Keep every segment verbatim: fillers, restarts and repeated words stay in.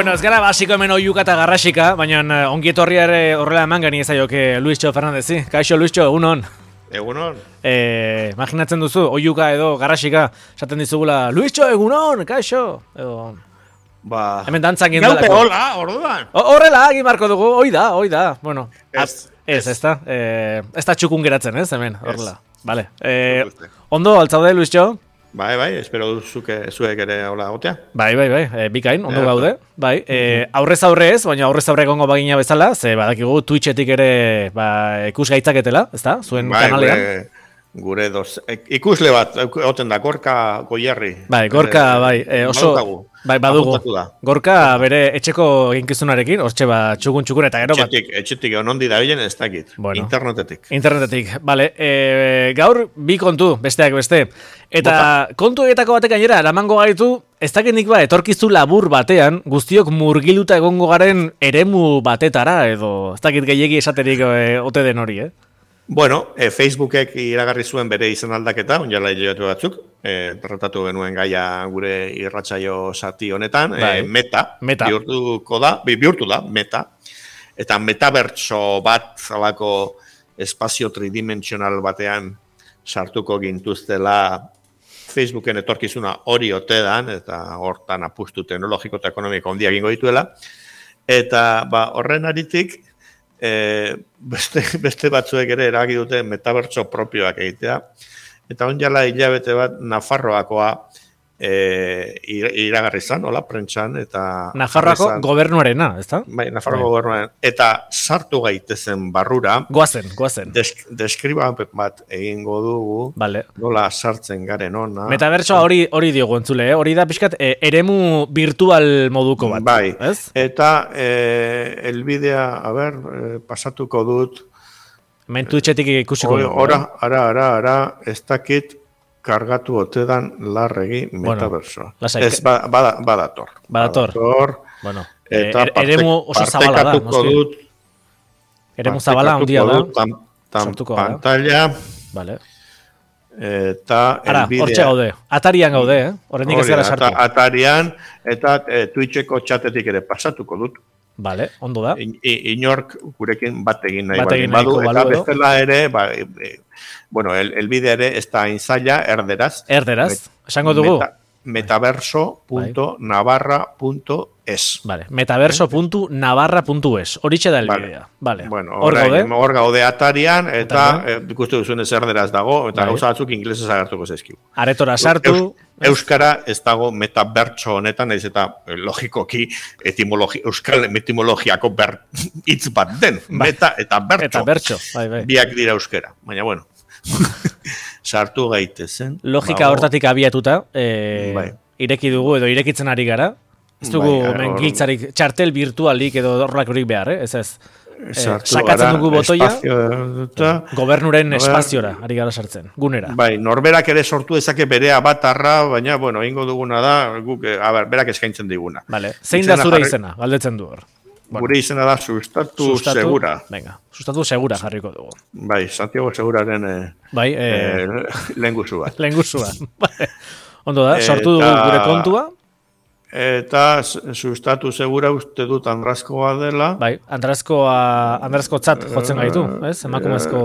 Bueno, ez gara basiko hemen oiuka eta garrasika, baina ongi etorria ere horrela eman gani ezaioke Luisxo Fernandezi. Kaixo, Luisxo, egunon. Egunon. Eh, imaginatzen duzu, oiuka edo garrasika, esaten dizugula, Luisxo, egunon, kaixo. Edo... Ba... Hemen dantzak indalako. Gaupe, hola, orduan. Horrela, egin marko dugu, hoi da, hoi da. Bueno, ez, ez, ez da. Eh, ez da txukun geratzen, ez, hemen, horrela. Vale. Eh, ondo, altzaude, Luisxo? Bai, bai, espero duzuke zuek ere hola gotea. Bai, bai, bai, e, bikain, ondo e, gaude. Bai, e, aurrez aurre ez, baina aurrez aurre egongo bagina bezala, ze badakigu Twitchetik ere ba, ikus gaitzaketela, ezta? Zuen bai, kanalean. Gure, gure dos, ikusle bat, oten da, Gorka Goierri. Bai, Gorka, e, bai, e, oso... Bai, badugu. Gorka bere etxeko eginkizunarekin, hortxe ba, txukun txukun eta gero bat. Etxetik, etxetik onondi da bilen ez dakit. Bueno, internetetik. Internetetik, bale. E, gaur bi kontu, besteak beste. Eta Bota. Kontu egetako batek gainera, eramango gaitu, ez dakit nik ba, etorkizu labur batean, guztiok murgiluta egongo garen eremu batetara, edo ez dakit gehiegi esaterik e, ote den hori, eh? Bueno, e, Facebookek iragarri zuen bere izan aldaketa, onjala hilabete batzuk, e, tratatu genuen gaia gure irratsaio zati honetan, e, meta, meta, bihurtuko da, bihurtu da, meta, eta metabertso bat zalako espazio tridimensional batean sartuko gintuztela Facebooken etorkizuna hori ote dan, eta hortan apustu teknologiko eta ekonomiko handia egingo dituela, eta ba, horren aritik, E, beste, beste batzuek ere erabaki dute metabertso propioak egitea. Eta onjala hilabete bat Nafarroakoa e, iragarri zan, hola, prentxan. Eta Nafarroako zan, gobernuarena, ez da? Bai, Nafarroako gobernuarena. Eta sartu gaitezen barrura. Goazen, goazen. Desk, deskribapen bat egingo dugu. Vale. Nola sartzen garen ona. Metabertsoa hori hori diogu entzule, eh? Hori da pixkat e, eremu virtual moduko bat. Bai, ez? Eta e, elbidea, a ber, e, pasatuko dut. Mentu etxetik ikusiko dugu. Ora, ara, ara, ara, ez dakit kargatu otedan larregi metaversoa. Bueno, ez, ba, bada, badator. Badator. Badator. Bueno, eta er, eremu oso zabala da. Dut, eremu zabala handia da. Tam, tam pantalla. Vale. Eta ara, elbidea. Hortxe gaude. Atarian gaude, eh? Horrendik ez gara sartu. Atarian, eta e, Twitcheko txatetik ere pasatuko dut. Vale, ondo da. I, inork gurekin bat egin nahi bat egin badu, eta balu, bestela ere, ba, e, bueno, el, el bide ere ez da inzaila, erderaz. Erderaz, esango dugu. Meta, metaverso punto navarra punto es. Vale, metaverso punto navarra punto es. Horitxe da el vale. bidea. Vale. Bueno, hor gaude. Hor gaude atarian, eta ikustu duzuen ez erderaz dago, eta vale. Gauza batzuk inglesez agertuko zaizkigu. Aretora sartu. Eus, Euskara ez dago metabertso honetan, ez eta logikoki etimologi, euskal etimologiako ber, hitz bat den. Ba, meta eta bertso. Eta bertso, bai, bai. Biak dira euskera, baina bueno. Sartu gaitezen. Logika hortatik abiatuta, e, bai. Ireki dugu edo irekitzen ari gara. Ez dugu bai, mengiltzarik, txartel virtualik edo horrelak horik behar, eh? Ez ez. Eh, sakatzen dugu botoia, espazio, gobernuren ber, espaziora, ari gara sartzen, gunera. Bai, norberak ere sortu dezake bere avatarra, baina, bueno, egingo duguna da, guk, a ber, berak eskaintzen diguna. Vale, zein da zure izena, galdetzen du hor. Bueno, gure izena da sustatu, sustatu segura. Venga, sustatu segura jarriko dugu. Bai, Santiago Seguraren eh, bai, eh, eh, lehengusua. Lehengusua. Ondo da, sortu dugu gure kontua. Eta sustatu segura uste dut Andrazkoa dela. Bai, Andrazkoa, Andrazko tzat jotzen gaitu, ez? Emakumezko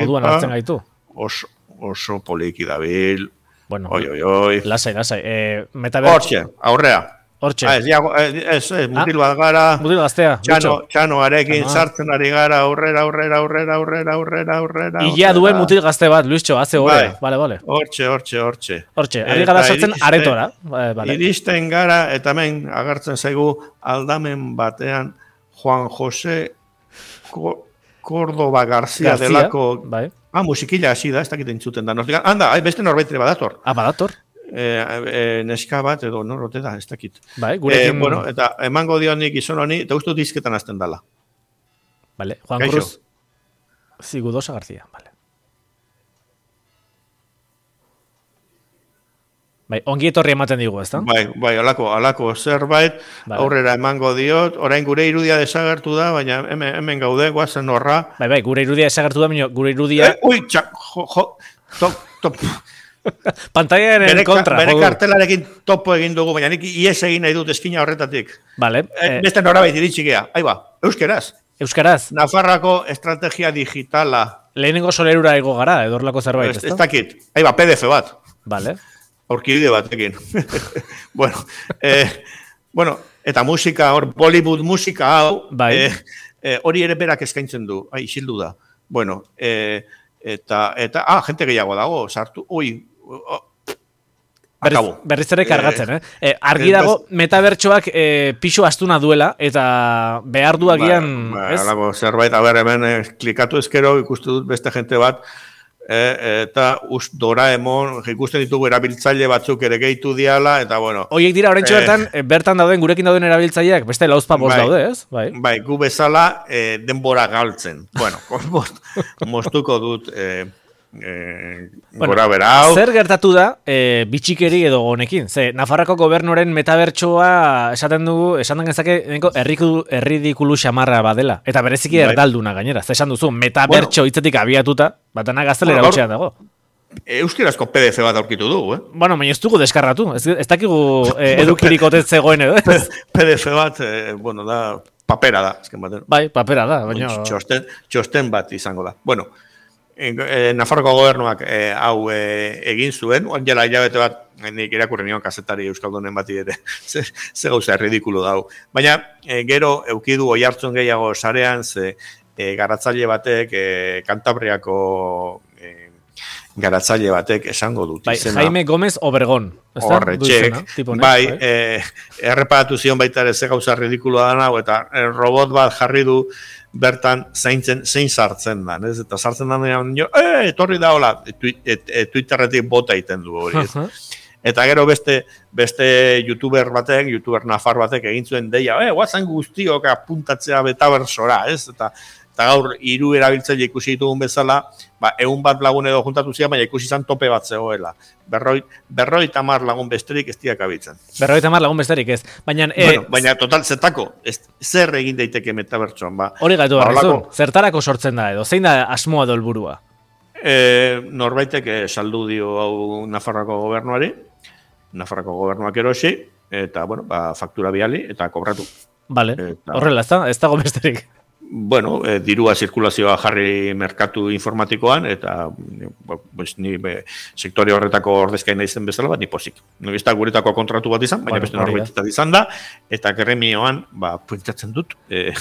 moduan hartzen gaitu. Oso, oso poliki dabil. Bueno, oi, oi, oi. Lasai, lasai. Eh, metaverso. Hortxe, aurrea. Hortxe. Ah, ez, ez, ez, mutil bat gara. Mutil gaztea. Txano, txanoarekin sartzen ari gara, aurrera, aurrera, aurrera, aurrera, aurrera, aurrera. Ia duen mutil gazte bat, Luisxo, haze gore. Vale, vale. Hortxe, hortxe, hortxe. Hortxe, ari gara sartzen aretora. Vale. Iristen gara, eta hemen agertzen zaigu aldamen batean Juan José Córdoba García, García delako... Bai. Ah, musikila hasi da, ez dakit entzuten da. Anda, beste norbaitere badator. Ah, badator. Eh, eh, neska bat edo norrote da, ez dakit. Bai, gurekin... Eh, bueno, eta emango dionik izan honi, eta uste dizketan azten dala. Vale, Juan Kaixo. Cruz Zigudosa García, vale. Bai, ongi etorri ematen digu, ezta? Bai, bai, alako, alako zerbait, vale. Aurrera emango diot, orain gure irudia desagertu da, baina hemen, hemen gaude, guazen horra. Bai, bai, gure irudia desagertu da, baina gure irudia... Eh, ui, txak, jo, jo, top, top... Pantaiaren kontra. Bere kartelarekin topo egin dugu, baina nik ies egin nahi dut eskina horretatik. Vale. Eh, beste norabait iritsi gea. Aiba, euskeraz. Euskaraz. Nafarrako estrategia digitala. Lehenengo solerura ego gara, edorlako zerbait, ez da? Ez dakit. Aiba, P D F bat. Vale. Aurkibide batekin. bueno, eh, bueno, eta musika, hor, Bollywood musika hau, bai. eh, eh, hori ere berak eskaintzen du. Ai, isildu da. Bueno, eh, Eta, eta, ah, jente gehiago dago, sartu, ui, oh, akabo. Berriz ere kargatzen, eh? eh argi dago, metabertsoak eh, pixo astuna duela, eta behar duagian, ba, ba, ez? Alago, zerbait, a ber, hemen eh, klikatu ezkero, ikustu dut beste jente bat, eh, eta us, Doraemon, ikusten ditugu erabiltzaile batzuk ere gehitu diala, eta bueno. Oiek dira, oraintxo bertan, eh, bertan dauden, gurekin dauden erabiltzaileak, beste lauzpa bost daude, ez? Bai, bai gu bezala eh, denbora galtzen. Bueno, most, mostuko dut... Eh, Eh, bueno, gora bera hau. Zer gertatu da eh, bitxikeri edo honekin? Ze, Nafarrako gobernuaren metabertsoa esaten dugu, esan den gezake erridikulu xamarra badela. Eta bereziki bai. Erdalduna gainera. Ze esan duzu, metabertso bueno, hitzetik abiatuta, batana gaztelera bueno, utxean dago. Euskerazko P D F bat aurkitu dugu, eh? Bueno, baina ez dugu deskarratu. Ez, ez dakigu eh, edukirik otet zegoen edo. P D F bat, eh, bueno, da, papera da. Bai, papera da. Baina... Txosten, txosten bat izango da. Bueno, E, Nafarroko gobernuak e, hau e, egin zuen, oan jela hilabete bat, nik irakurri nion kazetari euskaldunen bati ere, ze, ze gauza ridikulo dau. Baina e, gero eukidu oi hartzun gehiago sarean, ze e, garatzaile batek, e, Kantabriako e, garatzaile batek esango dut. Bai, izena, Jaime Gómez Obregón. Horretxek, bai, e, erreparatu zion baita ere ze gauza ridikuloa da nago, eta e, robot bat jarri du, bertan zaintzen, zein sartzen da, ez? Eta sartzen da, jo, eh, etorri da hola, Twitterretik bota iten du hori, ez? Uh-huh. Eta gero beste, beste youtuber batek, youtuber nafar batek egin zuen deia, eh, guazen guztiok apuntatzea betabersora, ez? Eta, eta gaur, hiru erabiltzaile ikusi ditugun bezala, ba, egun bat lagun edo juntatu zian, baina ikusi izan tope bat zegoela. Berroi, berroi tamar lagun besterik ez diak abitzen. Berroi tamar lagun besterik ez. Baina, bueno, eh, baina total zetako, ez, zer egin daiteke metabertsoan, ba. Hori gaitu ba, barrizun, zertarako sortzen da edo, zein da asmoa do helburua? Eh, norbaitek saldu dio hau Nafarroko gobernuari, Nafarroko gobernuak erosi, eta, bueno, ba, faktura biali, eta kobratu. Vale, eta... horrela, ez da, ez dago besterik. Bueno, eh, dirua zirkulazioa jarri merkatu informatikoan, eta pues, ni be, sektore horretako ordezkain naizen bezala, bat ni pozik. No ez da guretako kontratu bat izan, baina bueno, beste norbait izan da, eta gremioan, ba, puentatzen dut, eh,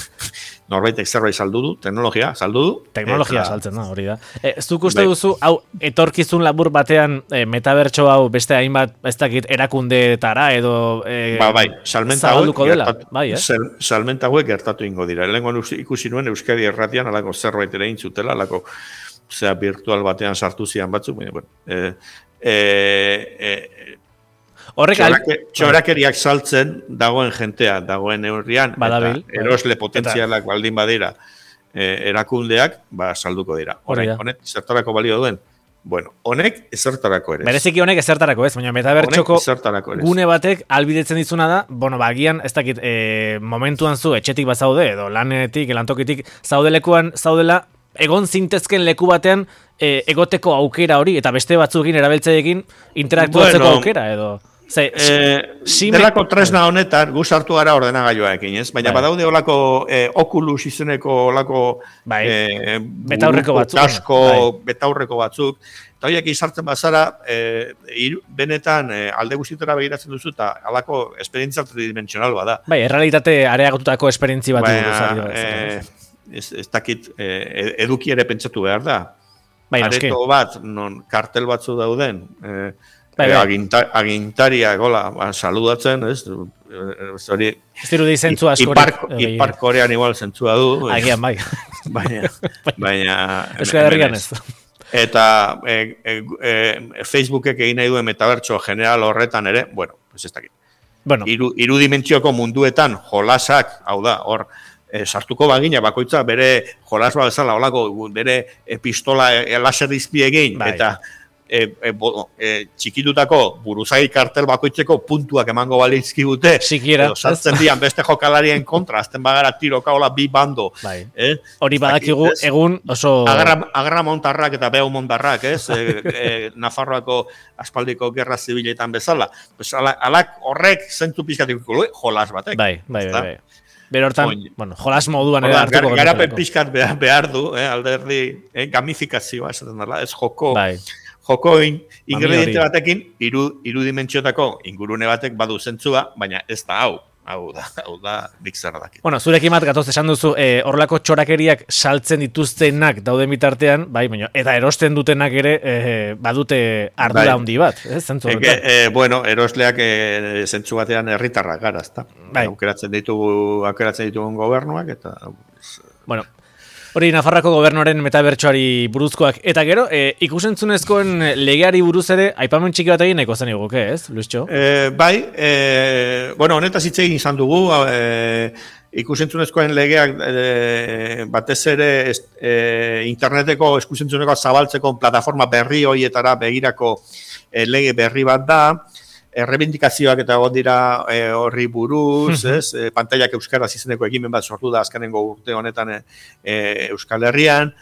norbaitek zerbait saldu du, teknologia saldu du. Teknologia eta... saltzen da, hori da. E, ez duk uste duzu, hau, etorkizun labur batean e, metabertso hau beste hainbat, ez dakit, erakundeetara edo e, ba, bai, salmenta hauek gertatu, bai, eh? salmenta hauek gertatu ingo dira. Lenguan ikusi nuen Euskadi erratian, alako zerbait ere intzutela, alako zera virtual batean sartu zian batzuk, baina, bueno, e, e, e, Horrek Txorake, txorakeriak saltzen dagoen jentea, dagoen neurrian, Badabil, eta erosle potentzialak eta... baldin badira eh, erakundeak, ba, salduko dira. Honek, honek zertarako balio duen? Bueno, honek ezertarako ere. Bereziki honek ezertarako ez, baina metabertxoko gune batek albidetzen dizuna da, bueno, bagian, ez dakit, e, momentuan zu, etxetik bat zaude, edo lanetik, lantokitik, zaudelekuan, zaudela, egon zintezken leku batean, e, egoteko aukera hori, eta beste batzuekin erabiltzaiekin interaktuatzeko bueno, aukera, edo... Ze, eh, sime... Delako tresna honetan, guz hartu gara ordenagailoarekin, ez? Baina bai. Badaude olako eh, Oculus izeneko olako bai. eh, betaurreko batzuk, tasko, bai. betaurreko batzuk, eta horiek izartzen bazara, eh, iru, benetan eh, alde guztitara begiratzen duzu, eta alako esperientzia tridimensional bada. Bai, errealitate areagotutako esperientzi bat. Baina, eh, ez, ez dakit, eh, eduki ere pentsatu behar da. Bai, areto bat, non kartel batzu dauden, eh, Bai, bai. Agintar, agintariak, hola, ba, saludatzen, ez? Hori... Ez dirudi zentzu askorik. Ipar Korean igual zentzua du. Agian, bai. Baina... baina Euskal Herrian ez. Eta e, e, e, Facebookek egin nahi duen metabertso general horretan ere, bueno, pues ez dakit. Bueno. Iru, irudimentzioko munduetan jolasak, hau da, hor, e, sartuko bagina, bakoitza bere jolas bat bezala, holako, bere pistola e, laser izpie egin, bai. Eta... e, e, bo, e, txikitutako buruzagi kartel bakoitzeko puntuak emango balizkigute, sikiera, edo sartzen dian beste jokalarien kontra, azten bagara tiroka hola bi bando. Bai. Eh? Hori badakigu egun oso... Agarra, agarra montarrak eta behu montarrak, ez? e, e, Nafarroako aspaldiko gerra zibiletan bezala. Pues, ala, alak horrek zentzu pizkatiko jolas batek. Bai, bai, bai. bai. Bero hortan, bueno, jolas moduan ere hartuko. Gar, garapen pizkat behar, behar du, eh, alderdi, eh, gamifikazioa, esaten dela, ez joko, bai. joko in, ingrediente batekin, iru, iru dimentsiotako ingurune batek badu zentzua, baina ez da hau. Hau da, hau da, nik zer dakit. Bueno, zurekin bat gatoz esan duzu, eh, horrelako txorakeriak saltzen dituztenak dauden bitartean, bai, baina, eta erosten dutenak ere eh, badute ardura bai. handi bat, eh, zentzu horretan. Eh, bueno, erosleak eh, zentzu batean herritarrak gara, ezta? Bai. Aukeratzen ditugu, aukeratzen ditugun gobernuak, eta... Bueno, hori Nafarroako gobernuaren metabertsoari buruzkoak. Eta gero, e, ikusentzunezkoen legeari buruz ere, aipamen txiki bat egin nahiko zen eguke, ez, Luistxo? E, bai, e, bueno, honetaz hitz egin izan dugu, e, ikusentzunezkoen legeak e, batez ere e, interneteko ikusentzuneko zabaltzeko plataforma berri horietara begirako e, lege berri bat da, errebindikazioak eta egon dira e, horri buruz, ez? E, pantailak euskaraz izeneko ekimen bat sortu da azkenengo urte honetan e, Euskal Herrian.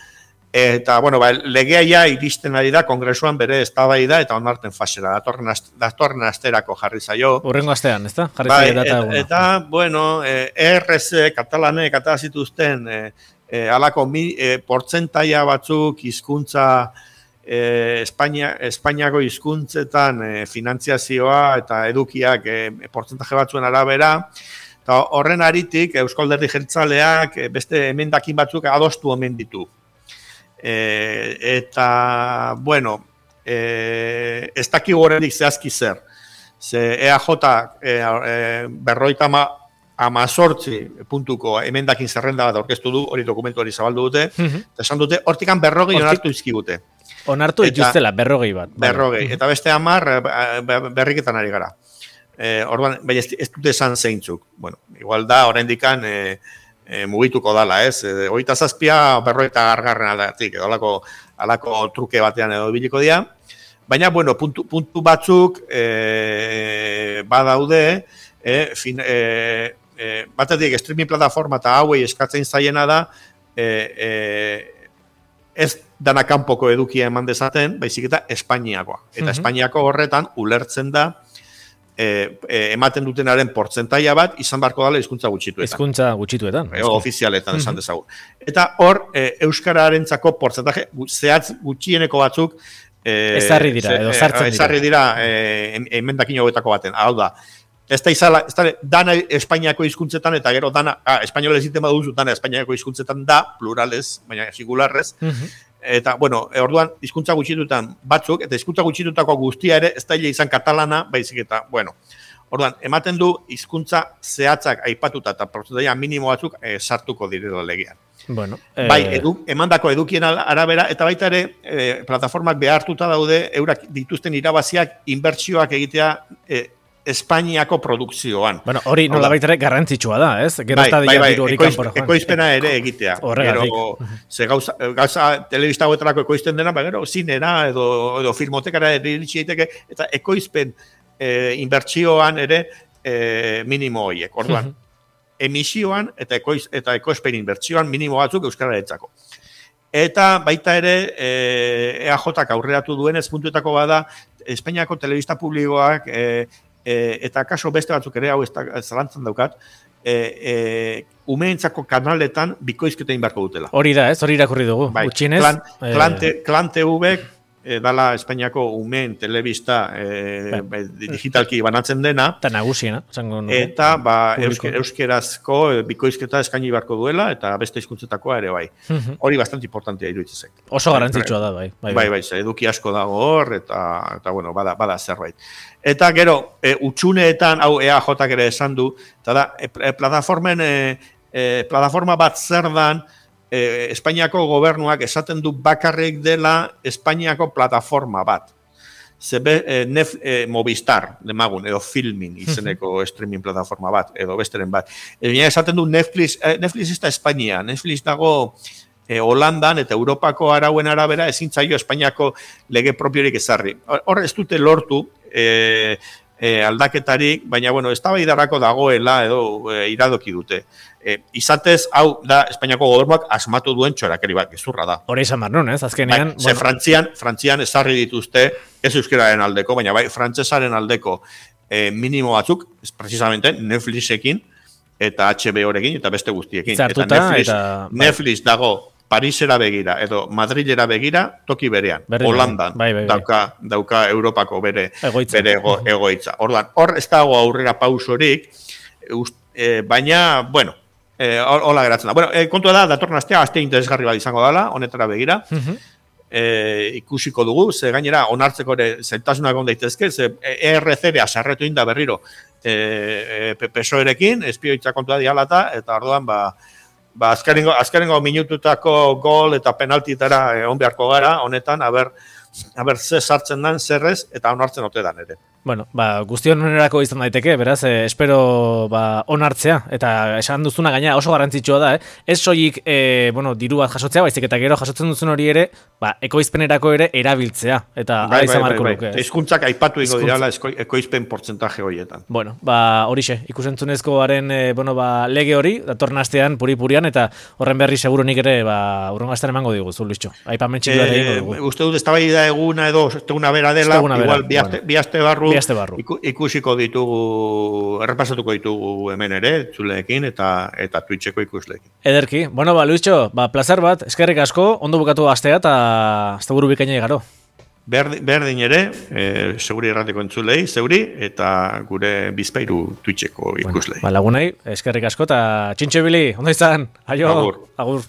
Eta, bueno, ba, legea ja iristen ari da, kongresuan bere eztabaida eta onarten fasera. Datorren, ast, datorren asterako jarri zaio. Urrengo astean, ez da? Jarri ba, zaio data eta, eta, bueno, e, R S, katalanek, eta zituzten, e, e, alako mi, e, portzentaia batzuk hizkuntza E, Espainia, Espainiako hizkuntzetan e, finantziazioa eta edukiak e, portzentaje batzuen arabera, eta horren aritik Eusko Alderdi Jeltzaleak e, beste emendakin batzuk adostu omen ditu. E, eta, bueno, e, ez daki horrenik zehazki zer. Ze E A J e, e, berroita ma, amazortzi puntuko emendakin zerrenda bat aurkeztu du, hori dokumentu hori zabaldu dute, mm-hmm. eta esan dute, hortikan berrogei onartu izkigute. Onartu dituztela, berrogei bat. Berrogei, eta beste hamar berriketan ari gara. E, orduan, bai, ez, ez dute esan zeintzuk. Bueno, igual da, oraindikan e, e, mugituko dala, ez? E, Oita zazpia, berroita gargarren aldatik, edo alako, alako truke batean edo biliko dira. Baina, bueno, puntu, puntu batzuk e, badaude, e, fin, e, e, batetik streaming plataforma eta hauei eskatzen zaiena da, e, e, ez dana kanpoko edukia eman dezaten, baizik eta Espainiakoa. Eta uh-huh. Espainiako horretan ulertzen da e, e, ematen dutenaren portzentaia bat izan beharko dela hizkuntza gutxituetan. Hizkuntza gutxituetan. E, ofizialetan esan uh-huh. dezagun. Eta hor, e, euskararentzako portzentaje zehatz gutxieneko batzuk e, ezarri dira, edo sartzen dira. Ezarri dira e, emendakin hauetako baten. Hau da, ez da izala, ez da, dana Espainiako hizkuntzetan eta gero dana, ah, espainola eziten baduzu, dana Espainiako hizkuntzetan da, pluralez, baina singularrez, uh-huh. eta, bueno, orduan, hizkuntza gutxitutan batzuk, eta hizkuntza gutxitutako guztia ere, ez da izan katalana, baizik eta, bueno, orduan, ematen du hizkuntza zehatzak aipatuta eta prozentaia minimo batzuk eh, sartuko direla legean. Bueno, eh... Bai, edu, emandako edukien arabera, eta baita ere, eh, plataformak behartuta daude, eurak dituzten irabaziak, inbertsioak egitea, eh, Espainiako produkzioan. Bueno, hori nola baitere garrantzitsua da, ez? Gero bai, bai, bai, ekoiz, ekoizpena ere egitea. Horregatik. Gero, ze gauza, gauza telebista hauetarako ekoizten dena, ba, gero, zinera edo, edo filmotekara iritsi daiteke, eta ekoizpen e, inbertsioan ere e, minimo horiek. Orduan, emisioan eta, ekoiz, eta ekoizpen inbertsioan minimo batzuk euskararentzako. Eta baita ere, E A Jak aurreratu duenez puntuetako bada, Espainiako telebista publikoak e, E, eta kaso beste batzuk ere, hau ez da, zalantzan daukat, e, e, umeentzako kanaletan bikoizketa inbarko dutela. Hori da, ez? Hori irakurri dugu. Bai, Utxinez, klan, eh... klan, te, klan T V e, dala Espainiako umeen telebista e, bai. digitalki banatzen dena. Eta nagusiena. Eta ba, eusker, euskerazko bikoizketa eskaini barko duela, eta beste hizkuntzetakoa ere bai. Uh-huh. Hori bastante importantea iruditzen zait. Oso garantzitsua da, bai. Bai, bai, bai, bai eduki asko dago hor, eta, eta bueno, bada, bada zerbait. Eta gero, e, utxuneetan, hau E A Jak ere esan du, eta da, e, plataformen, e, e, plataforma bat zer dan, e, Espainiako gobernuak esaten du bakarrik dela Espainiako plataforma bat. Zebe, e, nef, e, Movistar, demagun, edo Filmin izeneko streaming plataforma bat, edo besteren bat. E, esaten du Netflix, e, Netflix ez da Espainia, Netflix dago e, Holandan eta Europako arauen arabera ezin zaio Espainiako lege propiorik ezarri. Hor ez dute lortu e, e, aldaketarik, baina bueno, eztabaidarako dagoela edo e, iradoki dute. E, izatez, hau da Espainiako gobernuak asmatu duen txorakeri bat, gezurra da. Hori izan barnun, ez? Azkenean... Bai, ze Frantzian, Frantzian ezarri dituzte, ez euskararen aldeko, baina bai, frantsesaren aldeko e, minimo batzuk, ez precisamente, Netflixekin, eta H B O-rekin, eta beste guztiekin. Zartuta, eta Netflix, eta... Netflix dago Parisera begira, edo Madrilera begira, toki berean. Berri, Holandan bai, bai, bai. dauka, dauka Europako bere egoitza. Bere ego, egoitza. Orduan, hor ez dago aurrera pausorik, e, baina, bueno, Eh, hola geratzen da. Bueno, eh, kontua da, datorren astea, astea interesgarri bat izango dela, honetara begira. Uh-huh. eh, ikusiko dugu, ze gainera, onartzeko ere zeltasunak on daitezke, ze E R C-a sarretu inda berriro eh, P S O E-rekin, espioitza kontua dialata, eta orduan, ba, ba azkarengo, azkarengo minututako gol eta penaltitara eh, on beharko gara, honetan, aber, aber ze sartzen dan, zerrez, eta onartzen ote dan ere. Bueno, ba, guztion onerako izan daiteke, beraz, eh, espero ba, onartzea, eta esan duzuna gaina oso garrantzitsua da, eh? Ez soilik, eh, bueno, diru bat jasotzea, baizik eta gero jasotzen duzun hori ere, ba, ekoizpenerako ere erabiltzea, eta bai, izan marko bai, luke. Bai. Hizkuntzak aipatu ingo dirala ekoizpen portzentaje horietan. Bueno, ba, horixe, ikusentzunezkoaren, eh, bueno, ba, lege hori, datorren astean puri-purian, eta horren berri seguru nik ere, ba, urrengo astean emango digu, Zulitxo. Aipamen txiki bat egingo dugu. Uste dut, eztabaida eguna edo, eguna bera dela, igual, bi aste barru, Iku, ikusiko ditugu, errepasatuko ditugu hemen ere, zuleekin eta eta Twitcheko ikusleekin. Ederki. Bueno, ba, Luischo, ba, placer bat, eskerrik asko, ondo bukatu astea eta asteburu bikaina igaro. Berdin, berdin ere, e, seguri errateko entzulei, zeuri, eta gure bizpairu Twitcheko ikuslei. Bueno, ba, lagunei, eskerrik asko eta txintxo bili, ondo izan, aio, agur. agur.